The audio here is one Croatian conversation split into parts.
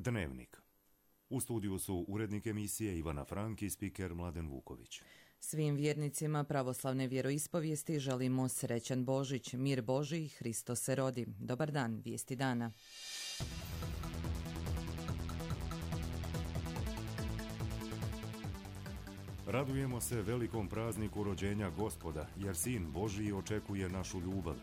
Dnevnik. U studiju su urednik emisije Ivana Frank i spiker Mladen Vuković. Svim vjernicima pravoslavne vjeroispovijesti želimo srećan Božić, mir Božji, Hristos se rodi. Dobar dan, vijesti dana. Radujemo se velikom prazniku rođenja Gospoda, jer Sin Božji očekuje našu ljubav,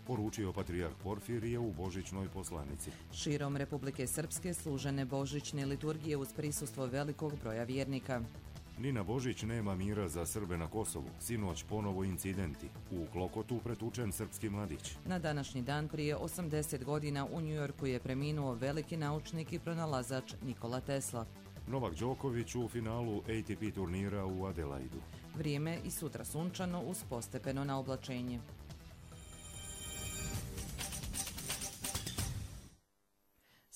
poručio patrijarh Porfirije u božićnoj poslanici. Širom Republike Srpske služene božićne liturgije uz prisustvo velikog broja vjernika. Ni na Božić nema mira za Srbe na Kosovu. Sinoć ponovo incidenti. U Klokotu pretučen srpski mladić. Na današnji dan prije 80 godina u Njujorku je preminuo veliki naučnik i pronalazač Nikola Tesla. Novak Đoković u finalu ATP turnira u Adelaidu. Vrijeme i sutra sunčano uz postepeno na oblačenje.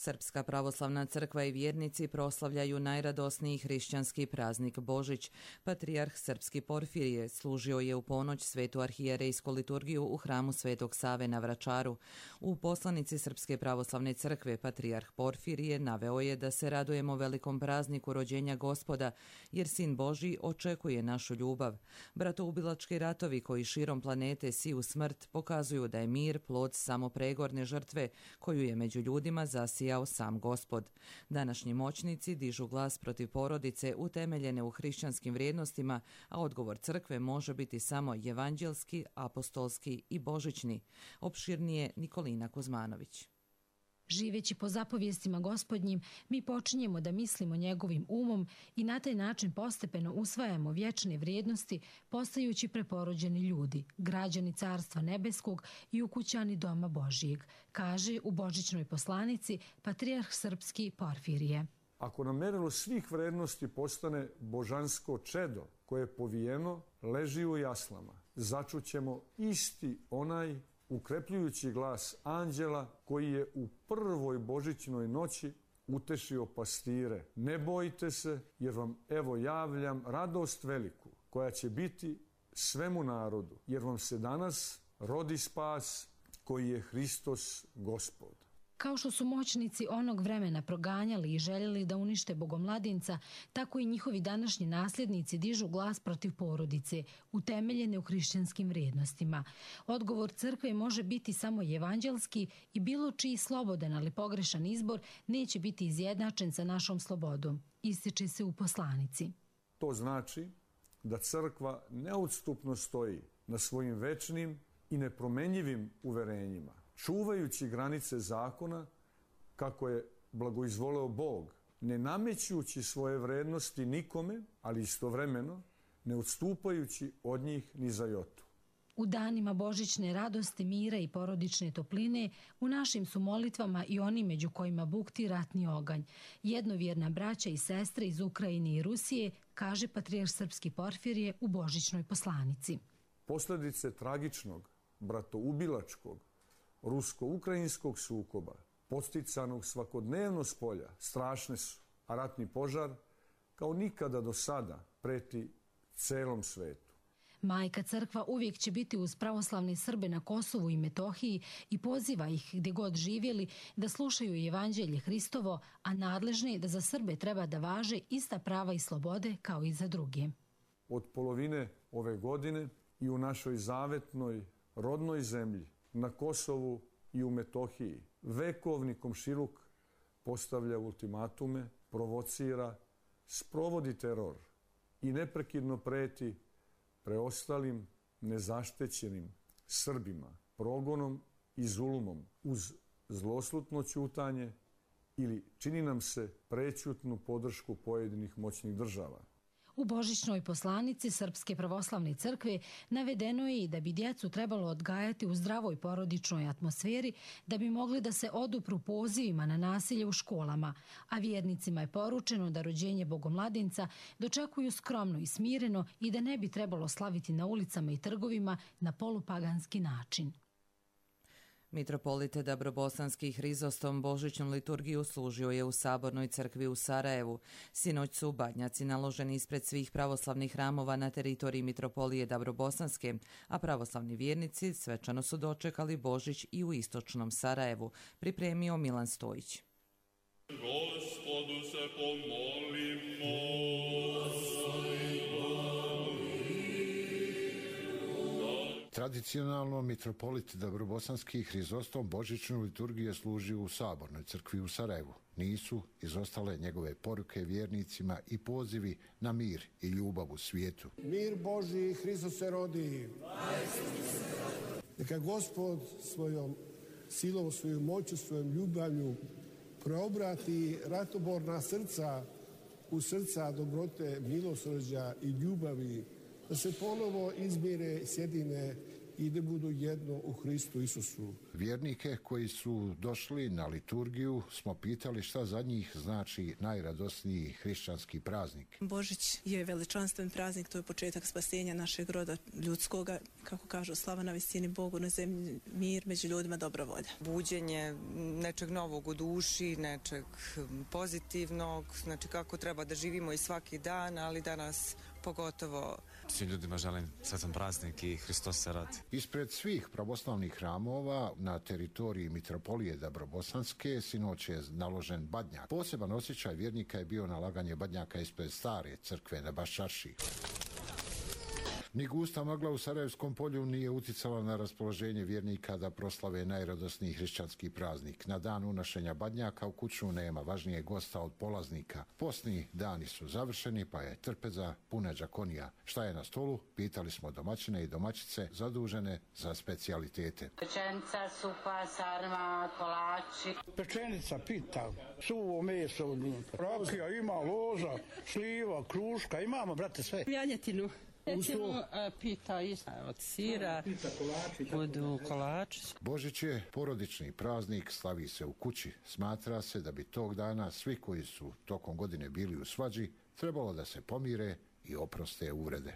Srpska pravoslavna crkva i vjernici proslavljaju najradosniji hrišćanski praznik Božić. Patrijarh Srpski Porfirije služio je u ponoć svetu arhijerejsku liturgiju u hramu Svetog Save na Vračaru. U poslanici Srpske pravoslavne crkve patrijarh Porfirije naveo je da se radujemo velikom prazniku rođenja Gospoda, jer Sin Božji očekuje našu ljubav. Bratoubilački ratovi koji širom planete siju smrt pokazuju da je mir plod samo pregorne žrtve koju je među ljudima zasijao sam Gospod. Današnji moćnici dižu glas protiv porodice utemeljene u hrišćanskim vrijednostima, a odgovor crkve može biti samo evanđelski, apostolski i božićni. Opširnije Nikolina Kuzmanović. Živeći po zapovijestima Gospodnjim, mi počinjemo da mislimo njegovim umom i na taj način postepeno usvajamo vječne vrijednosti, postajući preporođeni ljudi, građani Carstva nebeskog i ukućani Doma Božijeg, kaže u božićnoj poslanici patrijarh Srpski Porfirije. Ako nam merilo svih vrednosti postane božansko čedo koje je povijeno, leži u jaslama, začućemo isti onaj ukrepljujući glas anđela koji je u prvoj božićnoj noći utešio pastire. Ne bojte se, jer vam evo javljam radost veliku, koja će biti svemu narodu, jer vam se danas rodi spas koji je Hristos Gospod. Kao što su moćnici onog vremena proganjali i željeli da unište bogomladinca, tako i njihovi današnji nasljednici dižu glas protiv porodice, utemeljene u hrišćanskim vrijednostima. Odgovor crkve može biti samo evanđelski i bilo čiji slobodan ali pogrešan izbor neće biti izjednačen sa našom slobodom, ističe se u poslanici. To znači da crkva neodstupno stoji na svojim večnim i nepromenjivim uverenjima, čuvajući granice zakona kako je blagoizvoleo Bog, ne namećući svoje vrednosti nikome, ali istovremeno ne odstupajući od njih ni za jotu. U danima božićne radosti, mira i porodične topline, u našim su molitvama i oni među kojima bukti ratni oganj. Jednovjerna braća i sestre iz Ukrajine i Rusije, kaže patrijarh Srpski Porfirije u božićnoj poslanici. Posljedice tragičnog, bratoubilačkog, rusko-ukrajinskog sukoba, podsticanog svakodnevno s polja, strašne su, a ratni požar kao nikada do sada preti celom svetu. Majka crkva uvijek će biti uz pravoslavne Srbe na Kosovu i Metohiji i poziva ih gdje god živjeli da slušaju evanđelje Hristovo, a nadležni da za Srbe treba da važe ista prava i slobode kao i za druge. Od polovine ove godine i u našoj zavetnoj rodnoj zemlji, na Kosovu i u Metohiji, vekovni komšiluk postavlja ultimatume, provocira, sprovodi teror i neprekidno preti preostalim nezaštećenim Srbima progonom i zulumom uz zloslutno ćutanje ili čini nam se prećutnu podršku pojedinih moćnih država. U božićnoj poslanici Srpske pravoslavne crkve navedeno je i da bi djecu trebalo odgajati u zdravoj porodičnoj atmosferi da bi mogli da se odupru pozivima na nasilje u školama, a vjernicima je poručeno da rođenje bogomladinca dočekuju skromno i smireno i da ne bi trebalo slaviti na ulicama i trgovima na polupaganski način. Mitropolite Dabrobosanski Hrizostom božićnu liturgiju služio je u Sabornoj crkvi u Sarajevu. Sinoć su badnjaci naloženi ispred svih pravoslavnih hramova na teritoriji Mitropolije Dabrobosanske, a pravoslavni vjernici svečano su dočekali Božić i u istočnom Sarajevu, pripremio Milan Stojić. Gospodu se pomolimo. Tradicionalno mitropolit Dobrobosanski Hrizostom božićnu liturgiju je služio u Sabornoj crkvi u Sarajevu. Nisu izostale njegove poruke vjernicima i pozivi na mir i ljubav u svijetu. Mir Božji, Hristos se rodi. Neka Gospod svojom silom, svojom moću, svojom ljubavlju preobrati ratoborna srca u srca dobrote, milosrđa i ljubavi, da se ponovo izmire, sjedine i da budu jedno u Hristu Isusu. Vjernike koji su došli na liturgiju smo pitali šta za njih znači najradosniji hrišćanski praznik. Božić je veličanstven praznik, to je početak spasenja našeg roda ljudskoga, kako kažu, slava na visini Bogu, na zemlji mir, među ljudima dobra volja. Buđenje nečeg novog u duši, nečeg pozitivnog, znači kako treba da živimo i svaki dan, ali danas pogotovo. Svim ljudima želim sretan praznik i Hristos se rodi. Ispred svih pravoslavnih hramova na teritoriji mitropolije Dobrobosanske sinoć je naložen badnjak. Poseban osjećaj vjernika je bio nalaganje badnjaka ispred stare crkve na Baščarši. Ni gusta magla u Sarajevskom polju nije uticala na raspoloženje vjernika da proslave najradosniji hrišćanski praznik. Na dan unošenja badnjaka u kuću nema važnijeg gosta od polaznika. Postni dani su završeni, pa je trpeza puna džakonija. Šta je na stolu? Pitali smo domaćine i domaćice zadužene za specijalitete. Pečenica, supa, sarma, kolači. Pečenica, pita, suvo meso, rakija, ima loza, šljiva, kruška, imamo, brate, sve. Janjetinu. Recimo, pita od sira, budu kolači. Božić je porodični praznik, slavi se u kući. Smatra se da bi tog dana svi koji su tokom godine bili u svađi trebalo da se pomire i oproste uvrede.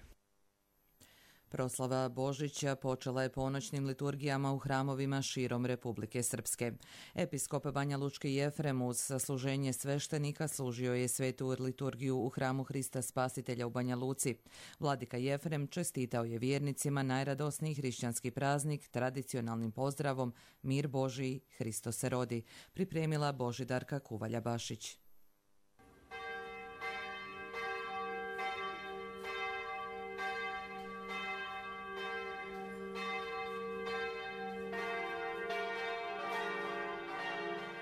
Proslava Božića počela je ponoćnim liturgijama u hramovima širom Republike Srpske. Episkop Banja Lučki Jefrem uz sasluženje sveštenika služio je svetu liturgiju u hramu Hrista Spasitelja u Banja Luci. Vladika Jefrem čestitao je vjernicima najradosniji hrišćanski praznik tradicionalnim pozdravom Mir Božji, Hristos se rodi, pripremila Božidarka Kuvalja-Bašić.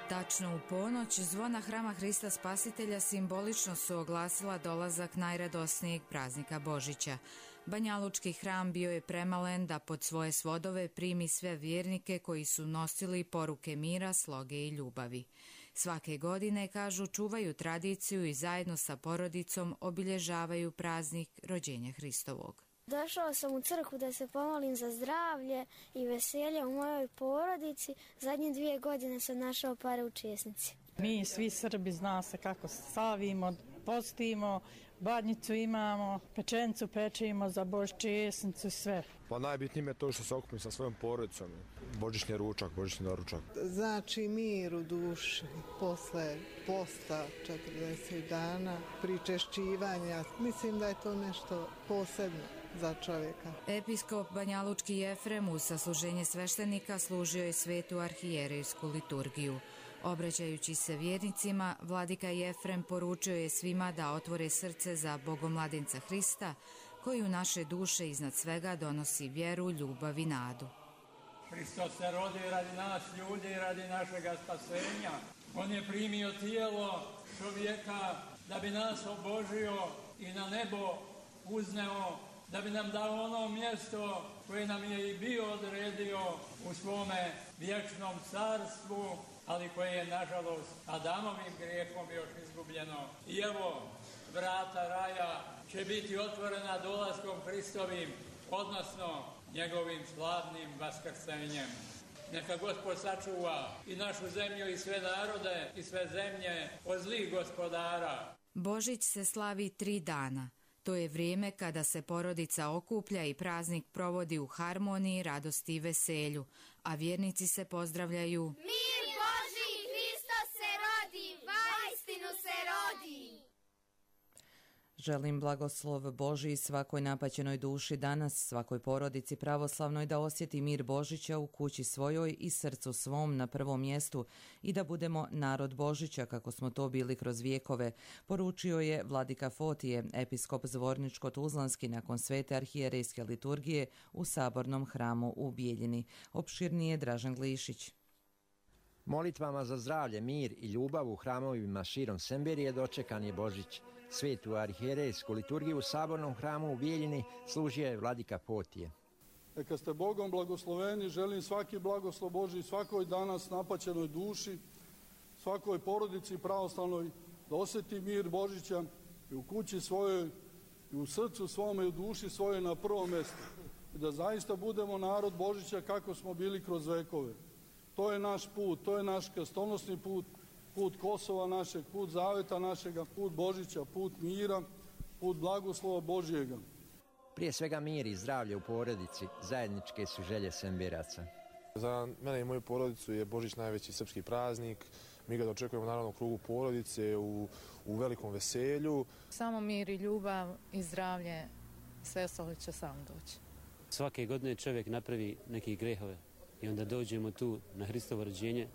Tačno u ponoć zvona hrama Hrista Spasitelja simbolično su oglasila dolazak najradosnijeg praznika Božića. Banjalučki hram bio je premalen da pod svoje svodove primi sve vjernike koji su nosili poruke mira, sloge i ljubavi. Svake godine, kažu, čuvaju tradiciju i zajedno sa porodicom obilježavaju praznik rođenja Hristovog. Došao sam u crkvu da se pomolim za zdravlje i veselje u mojoj porodici. Zadnje 2 godine sam našao pare u česnici. Mi svi Srbi zna se kako slavimo, postimo, badnjicu imamo, pečenicu pečemo za Božić, česnicu i sve. Pa najbitnije je to što se okupim sa svojom porodicom. Božićni ručak, božićni doručak. Znači mir u duši posle posta 40 dana, pričešćivanja. Mislim da je to nešto posebno za čovjeka. Episkop Banjalučki Jefrem uz sasluženje sveštenika služio je svetu arhijerejsku liturgiju. Obraćajući se vjernicima, vladika Jefrem poručio je svima da otvore srce za Bogomladenca Hrista, koji u naše duše iznad svega donosi vjeru, ljubav i nadu. Hristos se rodi radi nas ljudi i radi našega spasenja. On je primio tijelo čovjeka da bi nas obožio i na nebo uzneo, da bi nam dao ono mjesto koje nam je i bio odredio u svome vječnom carstvu, ali koje je, nažalost, Adamovim grijehom još izgubljeno. I evo, vrata raja će biti otvorena dolaskom Hristovim, odnosno njegovim slavnim vaskrsenjem. Neka Gospod sačuva i našu zemlju i sve narode i sve zemlje od zlih gospodara. Božić se slavi 3 dana. To je vrijeme kada se porodica okuplja i praznik provodi u harmoniji, radosti i veselju, a vjernici se pozdravljaju. Mir Božji, Hristos se rodi, vaistinu se rodi. Želim blagoslov Božji svakoj napaćenoj duši danas, svakoj porodici pravoslavnoj da osjeti mir Božića u kući svojoj i srcu svom na prvom mjestu i da budemo narod Božića kako smo to bili kroz vijekove, poručio je vladika Fotije, episkop Zvorničko-Tuzlanski nakon svete arhijerejske liturgije u Sabornom hramu u Bijeljini. Opširnije Dražen Glišić. Molitvama za zdravlje, mir i ljubav u hramovima širom Semberije dočekan je Božić. Svetu arhijerejsku liturgiju u Sabornom hramu u Bijeljini služio je vladika Fotije. Neka ste Bogom blagosloveni, želim svaki blagoslov Božji svakoj danas napaćenoj duši, svakoj porodici pravoslavnoj da osjeti mir Božića i u kući svojoj, i u srcu svome i u duši svojoj na prvom mjestu. I da zaista budemo narod Božića kako smo bili kroz vekove. To je naš put, to je naš krstonosni put, put Kosova našeg, put zaveta našega, put Božića, put mira, put blagoslova Božjega. Prije svega mir i zdravlje u porodici zajedničke su želje Semberaca. Za mene i moju porodicu je Božić najveći srpski praznik. Mi ga dočekujemo naravno u krugu porodice, u velikom veselju. Samo mir i ljubav i zdravlje, sve ostalo će samo doći. Svake godine čovjek napravi neke grehove i onda dođemo tu na Hristovo rođenje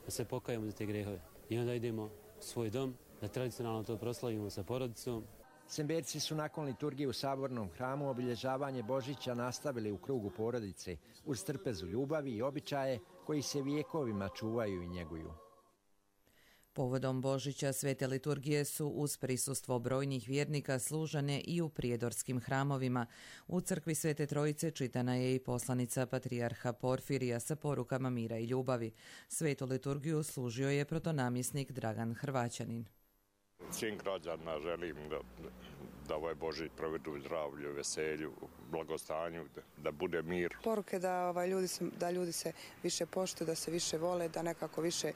da se pokajemo za te grehove. I onda idemo u svoj dom, da tradicionalno to proslavimo sa porodicom. Semberci su nakon liturgije u Sabornom hramu obilježavanje Božića nastavili u krugu porodice uz trpezu ljubavi i običaje koji se vijekovima čuvaju i njeguju. Povodom Božića svete liturgije su uz prisustvo brojnih vjernika služene i u prijedorskim hramovima. U crkvi Svete Trojice čitana je i poslanica patrijarha Porfirija sa porukama mira i ljubavi. Svetu liturgiju služio je protonamjesnik Dragan Hrvaćanin. Svim građanima želim da ovaj Božić provedu u zdravlju, veselju, blagostanju, da bude mir. Poruke da ljudi se više poštuju, da se više vole, da nekako više,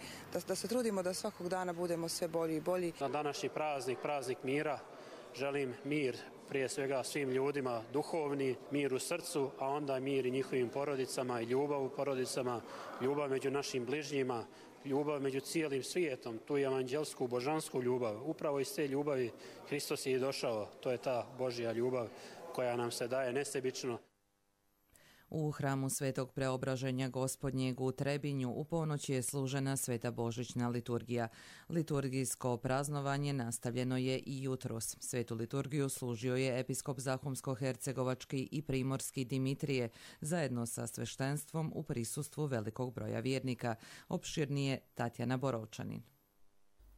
da se trudimo da svakog dana budemo sve bolji i bolji. Na današnji praznik mira, želim mir prije svega svim ljudima, duhovni, mir u srcu, a onda mir i njihovim porodicama i ljubav u porodicama, ljubav među našim bližnjima, ljubav među cijelim svijetom, tu je evanđelsku, božansku ljubav. Upravo iz te ljubavi Hristos je i došao. To je ta Božja ljubav koja nam se daje nesebično. U hramu Svetog Preobraženja Gospodnjeg u Trebinju u ponoć je služena Sveta Božićna liturgija. Liturgijsko praznovanje nastavljeno je i jutros. Svetu liturgiju služio je episkop Zahumsko-hercegovački i primorski Dimitrije zajedno sa sveštenstvom u prisustvu velikog broja vjernika. Opširnije Tatjana Boročanin.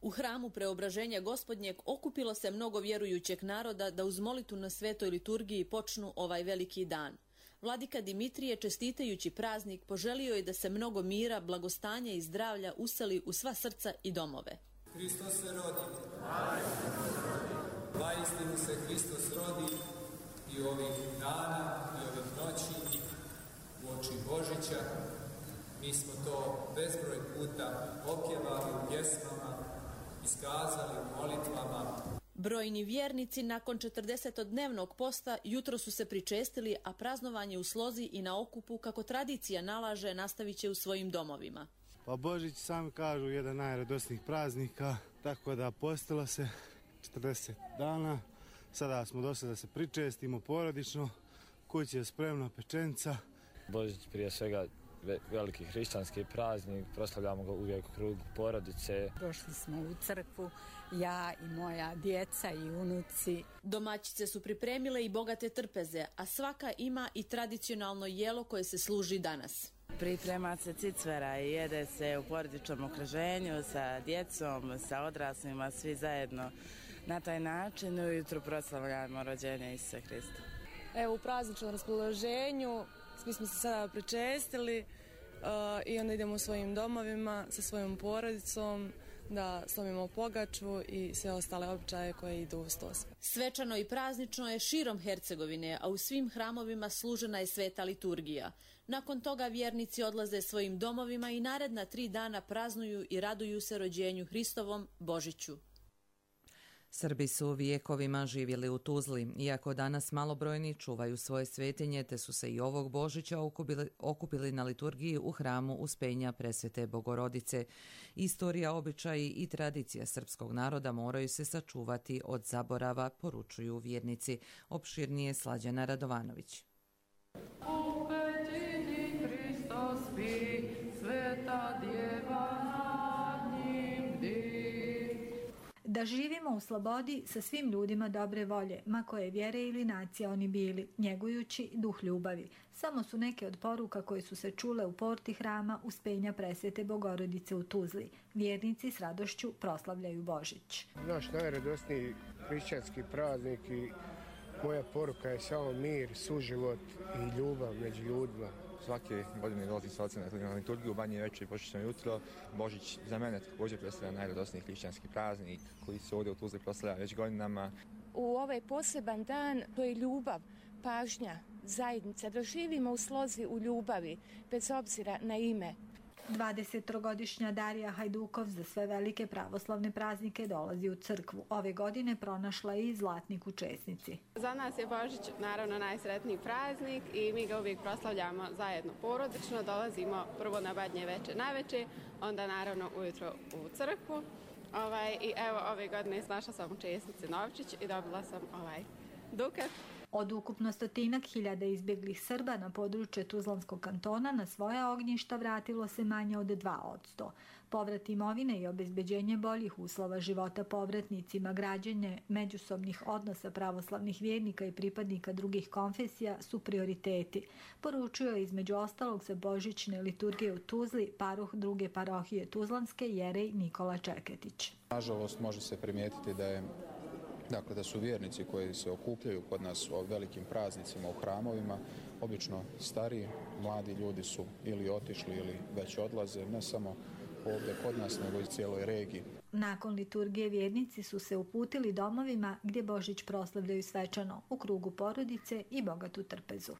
U hramu Preobraženja Gospodnjeg okupilo se mnogo vjerujućeg naroda da uz molitvu na svetoj liturgiji počnu ovaj veliki dan. Vladika Dimitrije, čestitajući praznik, poželio je da se mnogo mira, blagostanja i zdravlja useli u sva srca i domove. Hristos se rodi. Vaistinu se Hristos rodi i ovih dana i ovih noći u oči Božića. Mi smo to bezbroj puta opjevali u pjesmama, iskazali u molitvama. Brojni vjernici nakon 40-dnevnog posta jutro su se pričestili, a praznovanje u slozi i na okupu, kako tradicija nalaže, nastavit će u svojim domovima. Pa Božić, sami kažu, jedan najradosnijih praznika, tako da postilo se 40 dana. Sada smo došli da se pričestimo porodično, kući je spremna pečenca. Božić prije svega veliki hrišćanski praznik, proslavljamo ga uvijek u krugu porodice. Došli smo u crkvu, ja i moja djeca i unuci. Domaćice su pripremile i bogate trpeze, a svaka ima i tradicionalno jelo koje se služi danas. Priprema se cicvera i jede se u porodičnom okruženju sa djecom, sa odraslima, svi zajedno. Na taj način ujutru proslavljamo rođenje Isusa Hrista. Evo, u prazničnom raspoloženju mi smo se sada pričestili i onda idemo u svojim domovima sa svojom porodicom da slavimo pogaču i sve ostale običaje koje idu uz to. Svečano i praznično je širom Hercegovine, a u svim hramovima služena je sveta liturgija. Nakon toga vjernici odlaze svojim domovima i naredna 3 dana praznuju i raduju se rođenju Hristovom, Božiću. Srbi su vijekovima živjeli u Tuzli, iako danas malobrojni čuvaju svoje svetinje, te su se i ovog Božića okupili na liturgiji u hramu Uspenja Presvete Bogorodice. Istorija, običaji i tradicija srpskog naroda moraju se sačuvati od zaborava, poručuju vjernici. Opširnije Slađana Radovanović. Da živimo u slobodi sa svim ljudima dobre volje, ma koje vjere ili nacije oni bili, njegujući duh ljubavi. Samo su neke od poruka koje su se čule u porti hrama Uspenja Presvete Bogorodice u Tuzli. Vjernici s radošću proslavljaju Božić. Naš najradosniji hrišćanski praznik i moja poruka je samo mir, suživot i ljubav među ljudima. Svake godine dolazim sa ocem na liturgiju, Banje večer i božićno jutro. Božić za mene također predstavlja najradosniji hrišćanski praznik koji se ovdje u Tuzli proslavlja već godinama. U ovaj poseban dan to je ljubav, pažnja, zajednica, da živimo u slozi u ljubavi, bez obzira na ime. 23-godišnja Darija Hajdukov za sve velike pravoslavne praznike dolazi u crkvu. Ove godine pronašla je i zlatnik u česnici. Za nas je Božić naravno najsretniji praznik i mi ga uvijek proslavljamo zajedno porodično. Dolazimo prvo na Badnje večer navečer, onda naravno ujutro u crkvu. I evo ove godine našla sam u česnici novčić i dobila sam dukat. Od ukupno 100.000 izbjeglih Srba na području Tuzlanskog kantona na svoja ognjišta vratilo se manje od 2%. Povrat imovine i obezbeđenje boljih uslova života povratnicima, građenje međusobnih odnosa pravoslavnih vjernika i pripadnika drugih konfesija su prioriteti. Poručio je između ostalog sa božićne liturgije u Tuzli paruh druge parohije Tuzlanske jerej Nikola Čeketić. Nažalost može se primijetiti da su vjernici koji se okupljaju kod nas u velikim praznicima u hramovima, obično stariji, mladi ljudi su ili otišli ili već odlaze, ne samo ovdje kod nas, nego i cijeloj regiji. Nakon liturgije vjernici su se uputili domovima gdje Božić proslavljaju svečano, u krugu porodice i bogatu trpezu.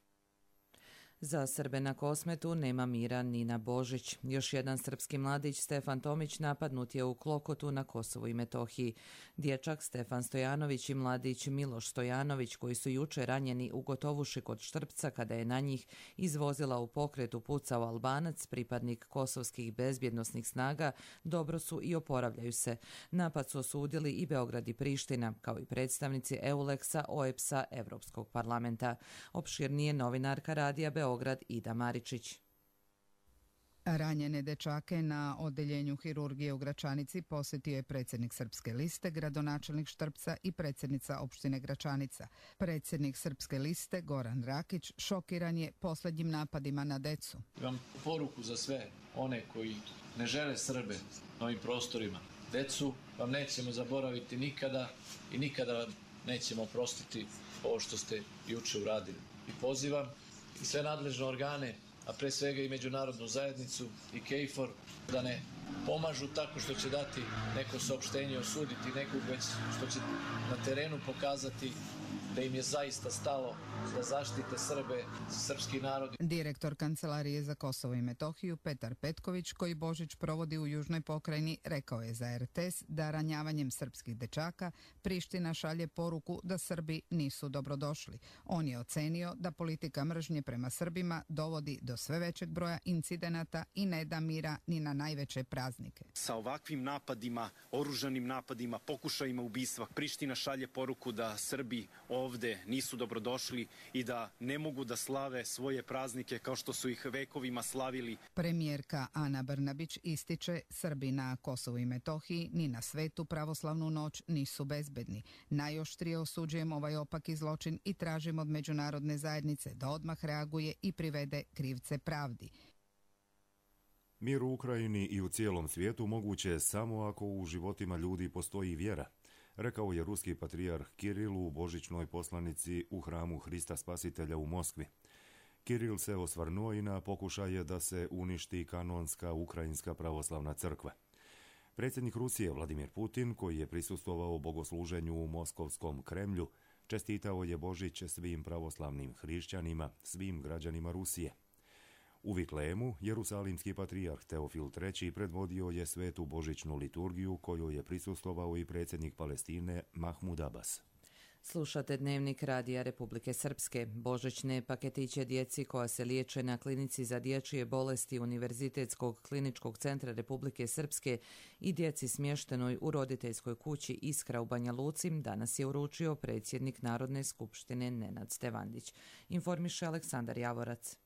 Za Srbe na Kosmetu nema mira ni na Božić. Još jedan srpski mladić, Stefan Tomić, napadnut je u Klokotu na Kosovu i Metohiji. Dječak Stefan Stojanović i mladić Miloš Stojanović, koji su juče ranjeni u Gotovuši kod Štrpca kada je na njih iz vozila u pokretu pucao Albanac, pripadnik kosovskih bezbjednosnih snaga, dobro su i oporavljaju se. Napad su osudili i Beograd i Priština, kao i predstavnici EULEX-a, OEBS-a, Evropskog parlamenta. Opširnije novinarka Radija Beograd Ida Maričić. Ranjene dečake na odeljenju hirurgije u Gračanici posjetio je predsjednik Srpske liste, gradonačelnik Štrpca i predsjednica opštine Gračanica. Predsjednik Srpske liste, Goran Rakić, šokiran je posljednjim napadima na decu. Imam poruku za sve one koji ne žele Srbe na ovim prostorima. Decu vam nećemo zaboraviti nikada i nikada vam nećemo oprostiti ovo što ste juče uradili. I pozivam i sve nadležne organe, a pre svega i međunarodnu zajednicu i KFOR, da ne pomažu tako što će dati neko saopštenje, osuditi nekog, već što će na terenu pokazati da im je zaista stalo da zaštite Srbe, srpski narod. Direktor Kancelarije za Kosovo i Metohiju Petar Petković, koji Božić provodi u južnoj pokrajini, rekao je za RTS da ranjavanjem srpskih dečaka Priština šalje poruku da Srbi nisu dobrodošli. On je ocenio da politika mržnje prema Srbima dovodi do sve većeg broja incidenata i ne da mira ni na najveće praznike. Sa ovakvim napadima, oružanim napadima, pokušajima ubistva, Priština šalje poruku da Srbi ovde nisu dobrodošli i da ne mogu da slave svoje praznike kao što su ih vekovima slavili. Premijerka Ana Brnabić ističe Srbi na Kosovu i Metohiji ni na svetu pravoslavnu noć nisu bezbedni. Najoštrije osuđujemo ovaj opaki zločin i tražimo od međunarodne zajednice da odmah reaguje i privede krivce pravdi. Mir u Ukrajini i u cijelom svijetu moguće je samo ako u životima ljudi postoji vjera, rekao je ruski patrijarh Kiril u božićnoj poslanici u hramu Hrista Spasitelja u Moskvi. Kiril se osvrnuo i na pokušaje da se uništi kanonska ukrajinska pravoslavna crkva. Predsjednik Rusije Vladimir Putin, koji je prisustvovao bogosluženju u Moskovskom Kremlju, čestitao je Božić svim pravoslavnim hrišćanima, svim građanima Rusije. U Viklemu, jerusalimski patrijarh Teofil III predvodio je svetu božićnu liturgiju kojoj je prisustvovao i predsjednik Palestine Mahmud Abbas. Slušate Dnevnik Radija Republike Srpske. Božićne paketiće djeci koja se liječe na klinici za dječje bolesti Univerzitetskog kliničkog centra Republike Srpske i djeci smještenoj u roditeljskoj kući Iskra u Banja Luci danas je uručio predsjednik Narodne skupštine Nenad Stevandić. Informiše Aleksandar Javorac.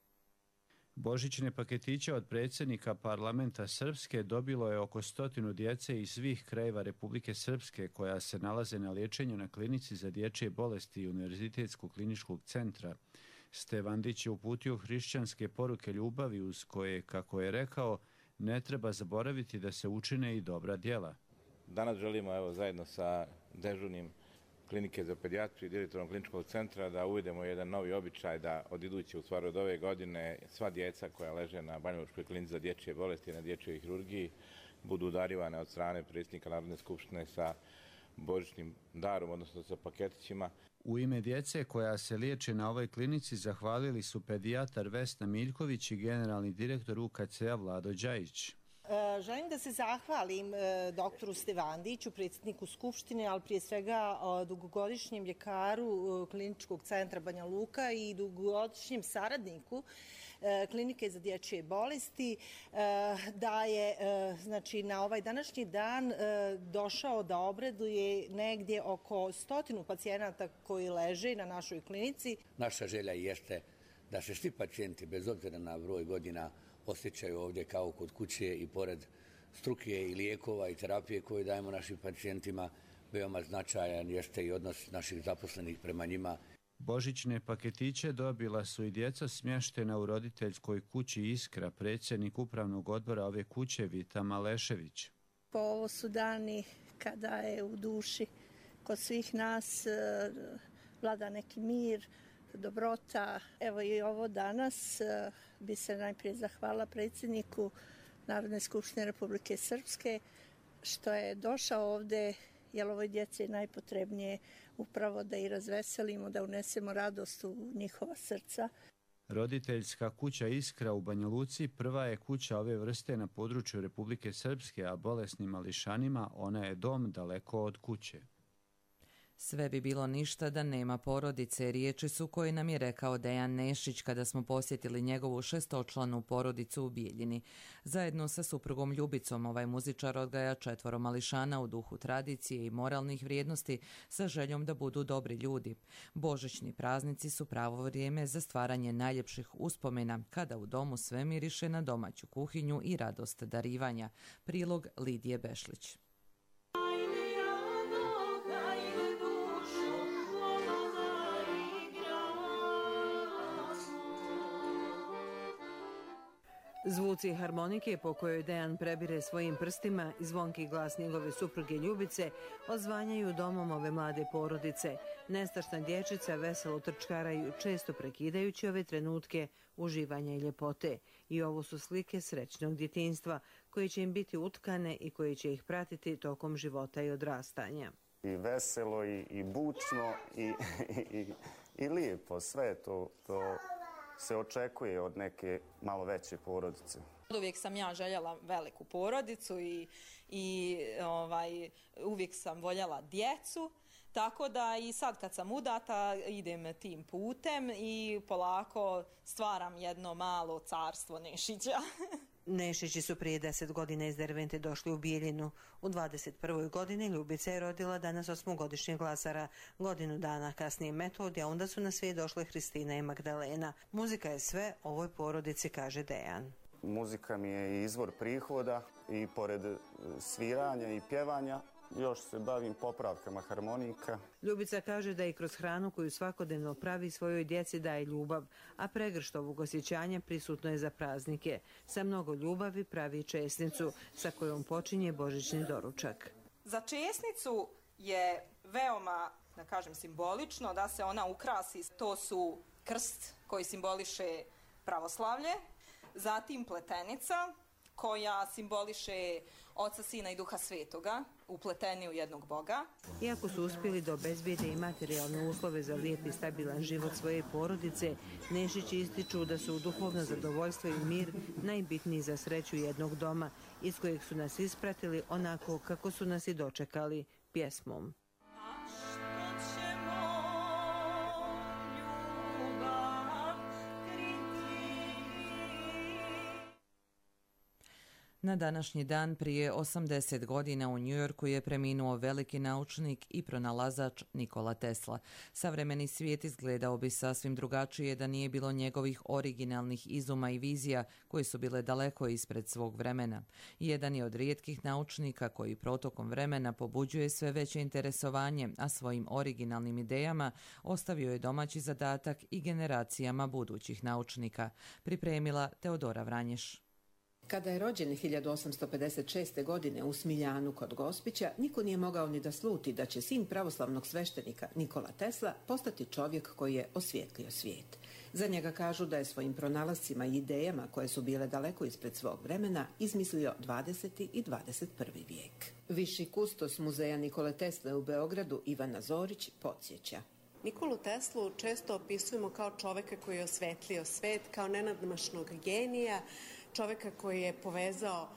Božićne paketiće od predsjednika parlamenta Srpske dobilo je oko 100 djece iz svih krajeva Republike Srpske koja se nalaze na liječenju na klinici za dječje bolesti Univerzitetskog kliničkog centra. Stevandić je uputio hrišćanske poruke ljubavi uz koje, kako je rekao, ne treba zaboraviti da se učine i dobra djela. Danas želimo zajedno sa dežurnim klinike za pedijatriju i direktorom kliničkog centra da uvedemo jedan novi običaj da od iduće, u stvari od ove godine, sva djeca koja leže na banjalučkoj klinici za dječje bolesti i na dječjoj hirurgiji budu udarivane od strane predsjednika Narodne skupštine sa božićnim darom, odnosno sa paketićima. U ime djece koja se liječe na ovoj klinici zahvalili su pedijatar Vesna Miljković i generalni direktor UKC-a Vlado Đajić. Želim da se zahvalim doktoru Stevandiću, predsjedniku Skupštine, ali prije svega dugogodišnjem ljekaru Kliničkog centra Banja Luka i dugogodišnjem saradniku Klinike za dječje bolesti, da je na ovaj današnji dan došao da obraduje negdje oko 100 pacijenata koji leže na našoj klinici. Naša želja jeste da se svi pacijenti, bez obzira na broj godina, osjećaju ovdje kao kod kuće i pored struke i lijekova i terapije koje dajemo našim pacijentima, veoma značajan jeste i odnos naših zaposlenih prema njima. Božićne paketiće dobila su i djeca smještena u roditeljskoj kući Iskra, predsjednik upravnog odbora ove kuće Vita Malešević. Ovo su dani kada je u duši kod svih nas vlada neki mir, dobrota. Evo i ovo danas bi se najprije zahvala predsjedniku Narodne skupštine Republike Srpske što je došao ovdje, jer ovoj djeci je najpotrebnije upravo da i razveselimo, da unesemo radost u njihova srca. Roditeljska kuća Iskra u Banja Luci prva je kuća ove vrste na području Republike Srpske, a bolesnim mališanima ona je dom daleko od kuće. Sve bi bilo ništa da nema porodice, riječi su koje nam je rekao Dejan Nešić kada smo posjetili njegovu 6-članu porodicu u Bijeljini. Zajedno sa suprugom Ljubicom ovaj muzičar odgaja 4 mališana u duhu tradicije i moralnih vrijednosti sa željom da budu dobri ljudi. Božićni praznici su pravo vrijeme za stvaranje najljepših uspomena, kada u domu sve miriše na domaću kuhinju i radost darivanja. Prilog Lidije Bešlić. Zvuci harmonike po kojoj Dejan prebire svojim prstima i zvonki glas njegove supruge Ljubice odzvanjaju domom ove mlade porodice. Nestašna dječica veselo trčkaraju, često prekidajući ove trenutke uživanja i ljepote. I ovo su slike srećnog djetinjstva koje će im biti utkane i koje će ih pratiti tokom života i odrastanja. I veselo i bučno i lijepo, sve to se očekuje od neke malo veće porodice. Uvijek sam ja željela veliku porodicu i uvijek sam voljela djecu, tako da i sad kad sam udata idem tim putem i polako stvaram jedno malo carstvo Nešića. Nešići su prije 10 godina iz Dervente došli u Bijeljinu. U 21. godini Ljubica je rodila danas 8-godišnjeg Lazara. Godinu dana kasnije Metod, a onda su na svijet došle Hristina i Magdalena. Muzika je sve ovoj porodici, kaže Dejan. Muzika mi je izvor prihoda i pored sviranja i pjevanja još se bavim popravkama harmonika. Ljubica kaže da i kroz hranu koju svakodnevno pravi svojoj djeci daje ljubav, a pregršt ovog osjećanja prisutno je za praznike. Sa mnogo ljubavi pravi česnicu, sa kojom počinje božićni doručak. Za česnicu je veoma, da kažem, simbolično da se ona ukrasi. To su krst koji simboliše pravoslavlje, zatim pletenica koja simboliše Oca, Sina i Duha Svetoga, upleteni u jednog Boga. Iako su uspjeli da obezbijede i materijalne uslove za lijep i stabilan život svoje porodice, Nešići ističu da su duhovno zadovoljstvo i mir najbitniji za sreću jednog doma, iz kojeg su nas ispratili onako kako su nas i dočekali, pjesmom. Na današnji dan prije 80 godina u Njujorku je preminuo veliki naučnik i pronalazač Nikola Tesla. Savremeni svijet izgledao bi sasvim drugačije da nije bilo njegovih originalnih izuma i vizija koje su bile daleko ispred svog vremena. Jedan je od rijetkih naučnika koji protokom vremena pobuđuje sve veće interesovanje, a svojim originalnim idejama ostavio je domaći zadatak i generacijama budućih naučnika. Pripremila Teodora Vranješ. Kada je rođen 1856. godine u Smiljanu kod Gospića, niko nije mogao ni da sluti da će sin pravoslavnog sveštenika Nikola Tesla postati čovjek koji je osvijetlio svijet. Za njega kažu da je svojim pronalascima i idejama koje su bile daleko ispred svog vremena izmislio 20. i 21. vijek. Viši kustos muzeja Nikole Tesle u Beogradu Ivana Zorić podsjeća. Nikolu Teslu često opisujemo kao čoveka koji je osvetlio svet, kao nenadmašnog genija, čoveka koji je povezao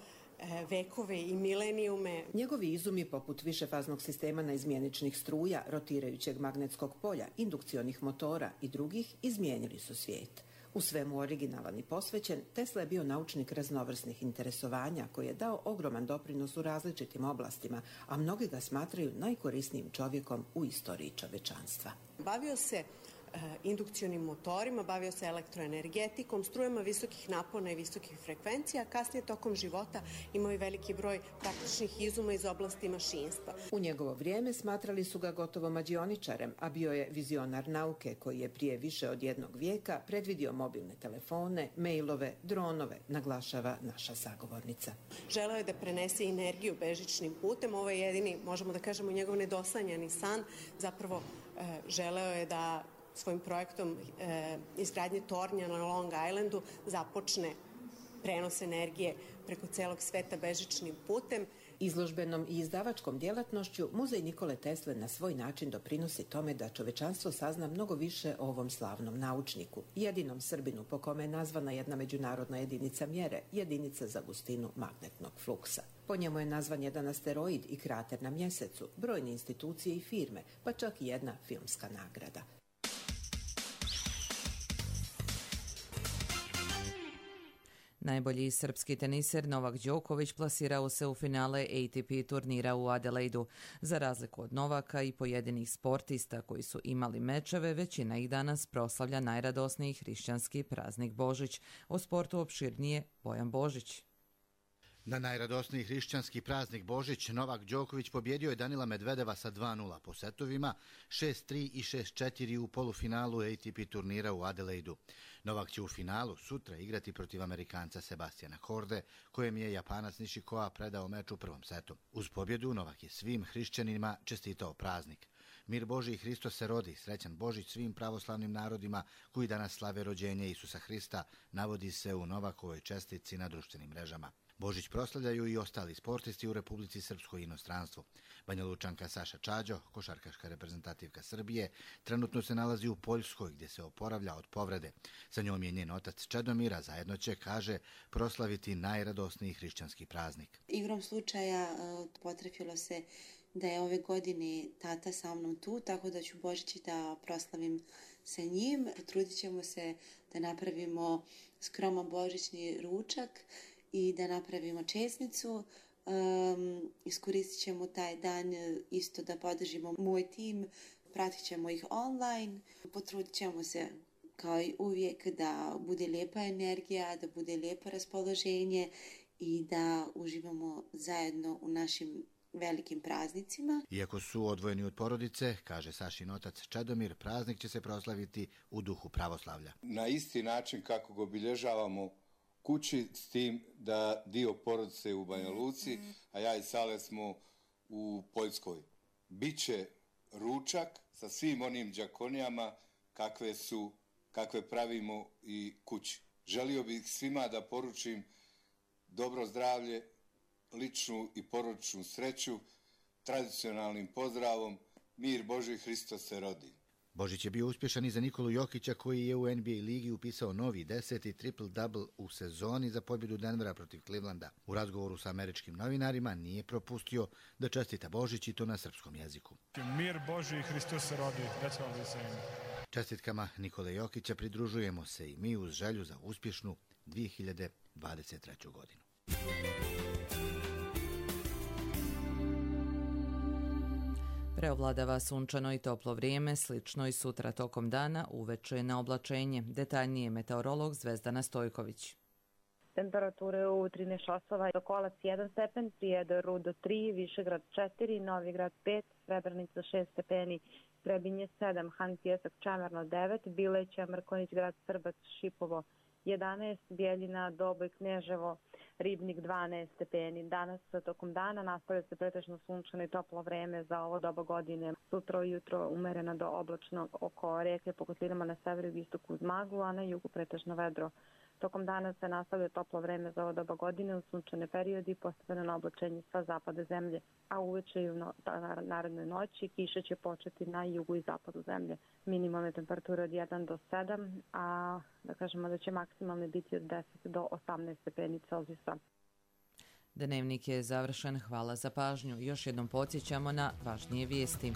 vekove i milenijume. Njegovi izumi poput višefaznog sistema naizmjeničnih struja, rotirajućeg magnetskog polja, indukcionih motora i drugih izmijenili su svijet. U svemu originalan i posvećen, Tesla je bio naučnik raznovrsnih interesovanja koji je dao ogroman doprinos u različitim oblastima, a mnogi ga smatraju najkorisnijim čovjekom u istoriji čovečanstva. Bavio se indukcionim motorima, bavio se elektroenergetikom, strujama visokih napona i visokih frekvencija, kasnije tokom života imao i veliki broj praktičnih izuma iz oblasti mašinstva. U njegovo vrijeme smatrali su ga gotovo mađioničarem, a bio je vizionar nauke koji je prije više od jednog vijeka predvidio mobilne telefone, mailove, dronove, naglašava naša sagovornica. Želeo je da prenese energiju bežičnim putem, ovo je jedini, možemo da kažemo, njegov nedosanjani san, zapravo želeo je da svojim projektom izgradnje tornja na Long Islandu započne prenos energije preko celog sveta bežičnim putem. Izložbenom i izdavačkom djelatnošću Muzej Nikole Tesle na svoj način doprinosi tome da čovečanstvo sazna mnogo više o ovom slavnom naučniku, jedinom Srbinu po kome je nazvana jedna međunarodna jedinica mjere, jedinica za gustinu magnetnog fluksa. Po njemu je nazvan jedan asteroid i krater na mjesecu, brojne institucije i firme, pa čak i jedna filmska nagrada. Najbolji srpski teniser Novak Đoković plasirao se u finale ATP turnira u Adelaidu. Za razliku od Novaka i pojedinih sportista koji su imali mečeve, većina ih danas proslavlja najradosniji hrišćanski praznik Božić. O sportu opširnije Bojan Božić. Na najradosniji hrišćanski praznik Božić Novak Đoković pobjedio je Danila Medvedeva sa 2:0 po setovima, 6:3 i 6:4 u polufinalu ATP turnira u Adelaidu. Novak će u finalu sutra igrati protiv Amerikanca Sebastiana Horde, kojem je Japanac Nishikoa predao meč u prvom setu. Uz pobjedu Novak je svim hrišćanima čestitao praznik. Mir Božji, Hristos se rodi, srećan Božić svim pravoslavnim narodima koji danas slave rođenje Isusa Hrista, navodi se u Novakovoj čestitci na društvenim mrežama. Božić proslavljaju i ostali sportisti u Republici Srpskoj i inostranstvu. Banjalučanka Saša Čađo, košarkaška reprezentativka Srbije, trenutno se nalazi u Poljskoj gdje se oporavlja od povrede. Sa njom je njen otac Čedomira, zajedno će, kaže, proslaviti najradosniji hrišćanski praznik. Igrom slučaja potrefilo se da je ove godine tata sa mnom tu, tako da ću Božić da proslavim sa njim. Potrudit ćemo se da napravimo skroman božićni ručak i da napravimo česmicu. Iskoristit ćemo taj dan isto da podržimo moj tim, pratit ćemo ih online, potrudit ćemo se kao i uvijek da bude lijepa energija, da bude lijepo raspoloženje i da uživamo zajedno u našim velikim praznicima. Iako su odvojeni od porodice, kaže Sašin otac Čedomir, praznik će se proslaviti u duhu pravoslavlja. Na isti način kako ga obilježavamo kući, s tim da dio porodice je u Banja Luci, a ja i Sale smo u Poljskoj. Biće ručak sa svim onim đakonijama kakve pravimo i kući. Želio bih svima da poručim dobro zdravlje, ličnu i porodičnu sreću, tradicionalnim pozdravom Mir Božji, Hristos se rodi. Božić je bio uspješan i za Nikolu Jokića koji je u NBA ligi upisao novi 10. triple-double u sezoni za pobjedu Denvera protiv Clevelanda. U razgovoru sa američkim novinarima nije propustio da čestita Božić i to na srpskom jeziku. Mir Božji, Hristos se rodi. That's all we're saying. Čestitkama Nikole Jokića pridružujemo se i mi uz želju za uspješnu 2023. godinu. Preovladava sunčano i toplo vrijeme, slično i sutra tokom dana, uveče na oblačenje. Detaljnije meteorolog Zvezdana Stojković. Temperature u 13 časova, Sokolac 1 stepen, Prijedor Rudo 3, Višegrad 4, Novigrad 5, Srebrenica 6 stepeni, Trebinje 7, Han Pjesak Čamerno 9, Bileća, Mrkonjić, Grad Srbac, Šipovo 11, Bijeljina, Doboj, Kneževo, Ribnik 12 stepeni. Danas tokom dana nastavlja se pretežno sunčano i toplo vreme za ovo doba godine. Sutra ujutro umerena do oblačno oko reke po kotlinama na severu i istoku uz maglu, a na jugu pretežno vedro. Tokom dana se nastavlja toplo vreme za ovo doba godine u sunčane periodi, postepeno na oblačenje sa zapada zemlje, a uveče i u narednoj noći kiša će početi na jugu i zapadu zemlje. Minimalne temperature od 1 do 7, a da kažemo da će maksimalne biti od 10 do 18 stepeni Celzijusa. Dnevnik je završen, hvala za pažnju. Još jednom podsjećamo na važnije vijesti.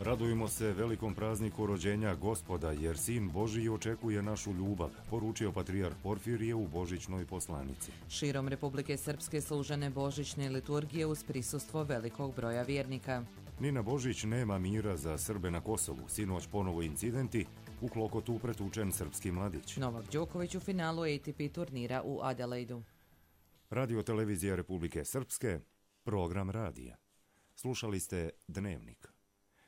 Radujemo se velikom prazniku rođenja Gospoda, jer Sin Božji očekuje našu ljubav, poručio patrijarh Porfirije u božićnoj poslanici. Širom Republike Srpske služene božićne liturgije uz prisustvo velikog broja vjernika. Ni na Božić nema mira za Srbe na Kosovu. Sinoć ponovo incidenti, u Klokotu pretučen srpski mladić. Novak Đoković u finalu ATP turnira u Adelaidu. Radio televizija Republike Srpske, program radija. Slušali ste Dnevnik.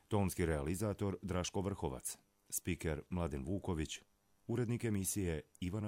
Tonski realizator Draško Vrhovac, spiker Mladen Vuković, urednik emisije Ivana